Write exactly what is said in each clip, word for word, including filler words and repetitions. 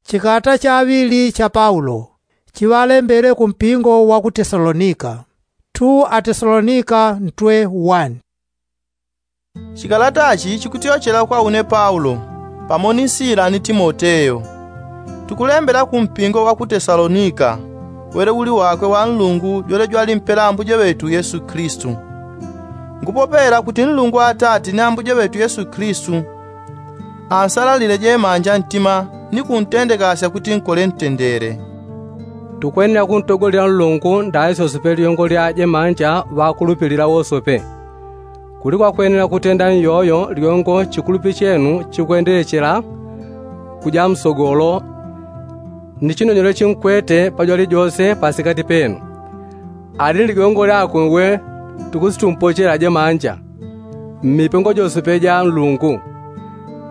Chikata chaŵili cha paulo chiŵalembele ku mpingo wa ku tesalonika. Tu atesalonika ntwe wani. Chikalata chi chikutyochela kwa une paulo, pamo ni sila ni timoteyo. Tukulembela ku mpingo wa ku tesalonika, wele uli wakwe wa nlungu jwele jwalimpela ambuje ŵetu yesu kilisitu. Ngupopela kuti nlungu atati ni ambuje ŵetu yesu kilisitu ansalalile jemanja ntima, ni kuntendekasya kuti nkole ntendele. Tukwenela kuntogolela nlungu ndali sosope lyongo lya jemanja ŵakulupilila wosope. Kuli kwakwenela kutenda nyoyo lyongo chikulupi chenu chikwendelechela kuja msogolo, ni chinonyelo chinkwete pajwali jose pasikati penu. Ali ni ligongo lyakwe we tukusitumpochela jemanja mmipengo josepe ja nlungu,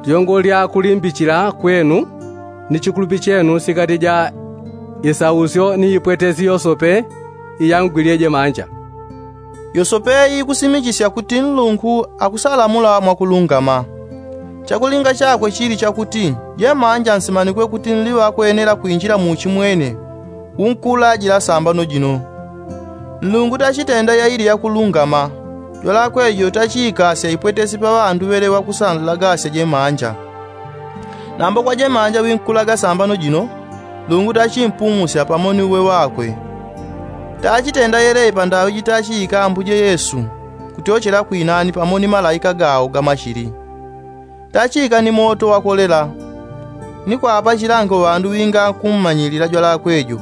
lyongo lya kulimbichila kwenu, ni chikulupi chenu sikati ja isausyo ni ipwetesi yosope iyangwilye jemanja. Yosope iikusimichisya kuti nlungu akusalamula mwakulungama. Chakulinga chakwe chili chakuti jemanja nsimanikwe kuti nli ŵakwenela kwinjila muuchi mwene, unkula jila sambano jino. Nlungu tachitenda yaili yakulungama, jwalakwe jo tachiikasya ipwetesi pa ŵandu ŵele ŵakusanlagasya jemanja. Nambo kwa jemanja winkulaga sambano jino, nlungu tachimpumusya pamo ni uwe ŵakwe. Tachitenda yeleyi pandaŵi jitachiika ambuje yesu kutyochela kwinani pamo ni malaika gao gamachili. Tachiika ni moto wakolela, ni kwapa chilango ŵandu ŵinga kummanyilila jwalakwe jo,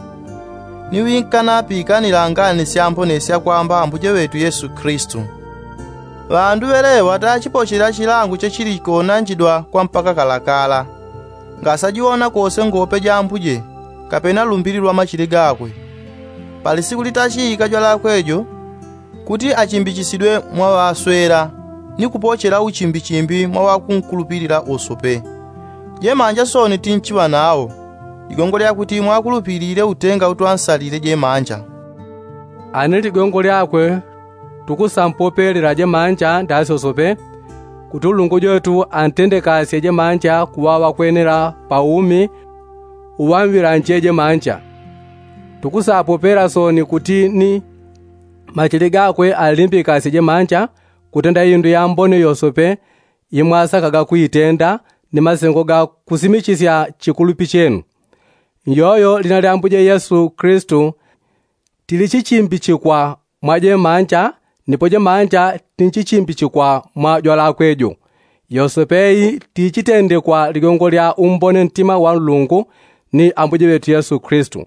ni ŵinkanapikanila ngani syambone syakwamba ambuje ŵetu yesu kilisitu. Ŵandu ŵeleŵa tachipochela chilango chechili konanjidwa kwa mpaka kalakala, ngasajiwona kose ngope ja ambuje, kapena lumbili lwa machili gakwe. Pali siku litachiika jwalakwe jo, kuti achimbichisidwe mwa ŵaswela, ni kupochela uchimbichimbi mwa ŵakunkulupilila usope. Jemanja soni tinchiŵa nawo, ligongo lyakuti mwakulupilile utenga utwansalile jemanja. Ani ligongo lyakwe tukusampopelela jemanja ndasyosope, kuti ulungu jwetu antendekasye jemanja kuŵa ŵakwenela pa umi uŵanŵilanje jemanja. Tukusapopela soni kuti ni machili gakwe alimbikasye jemanja kutenda indu yambone yosope imwasakaga kuitenda, ni masengo ga kusimichisya chikulupi chenu. Nyoyo lina lya ambuje yesu kilisitu tilichichimbichikwa mwa jemanja, nipo jemanja tinchichimbichikwa mwa jwalakwe jo. Yosope iyi tichitendekwa ligongo lya umbone ntima wa nlungu ni ambuje ŵetu yesu kilisitu.